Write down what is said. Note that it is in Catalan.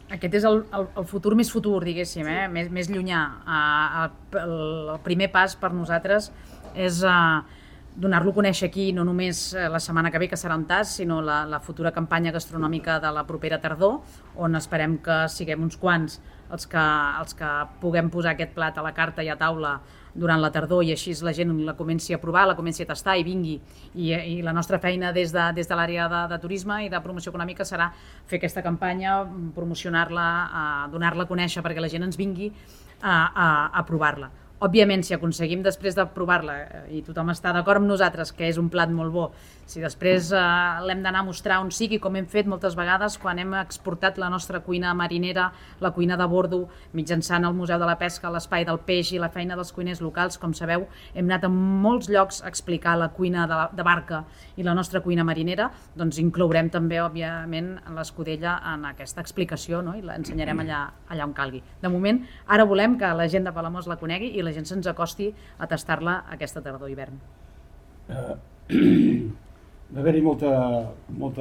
Aquest és el futur més futur, diguéssim, més llunyà. El primer pas per nosaltres és donar-lo a conèixer aquí, no només la setmana que ve, que serà un tas, sinó la futura campanya gastronòmica de la propera tardor, on esperem que siguem uns quants els que puguem posar aquest plat a la carta i a taula durant la tardor, i així la gent la comenci a provar, la comenci a tastar i vingui. I la nostra feina des de l'àrea de turisme i de promoció econòmica serà fer aquesta campanya, promocionar-la, donar-la a conèixer perquè la gent ens vingui a provar-la. Òbviament, si aconseguim després de provar-la i tothom està d'acord amb nosaltres que és un plat molt bo, si després l'hem d'anar a mostrar on sigui, com hem fet moltes vegades quan hem exportat la nostra cuina marinera, la cuina de bordo, mitjançant el Museu de la Pesca, l'Espai del Peix i la feina dels cuiners locals, com sabeu, hem anat a molts llocs a explicar la cuina de barca i la nostra cuina marinera, doncs inclourem també, òbviament, l'escudella en aquesta explicació, no? I l'ensenyarem allà on calgui. De moment, ara volem que la gent de Palamós la conegui i la gent se'ns acosti a tastar-la aquesta tardor-hivern. Va haver-hi molta